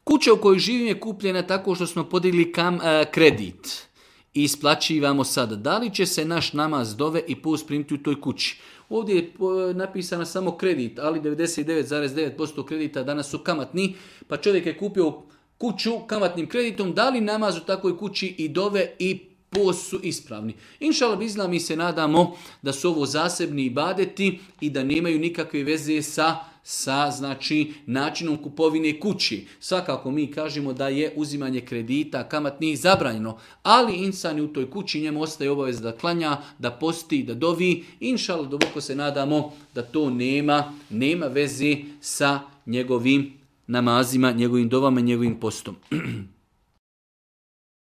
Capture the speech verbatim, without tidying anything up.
Kuća u kojoj živim je kupljena tako što smo podigli kam, a, kredit i isplaćivamo sad. Da li će se naš namaz dove i post primiti u toj kući? Ovdje je napisano samo kredit, ali devedeset devet zarez devet posto kredita danas su kamatni, pa čovjek je kupio kuću kamatnim kreditom, da li namaz u takvoj kući i dove i post su ispravni. Inšallah bizna, mi se nadamo da su ovo zasebni ibadeti i da nemaju nikakve veze sa sa znači načinom kupovine kući. Svakako mi kažemo da je uzimanje kredita kamatnih zabranjeno, ali insan u toj kući, njemu ostaje obaveza da klanja, da posti, da dovi. Inšallah duboko se nadamo da to nema, nema veze sa njegovim namazima, njegovim dovama, njegovim postom.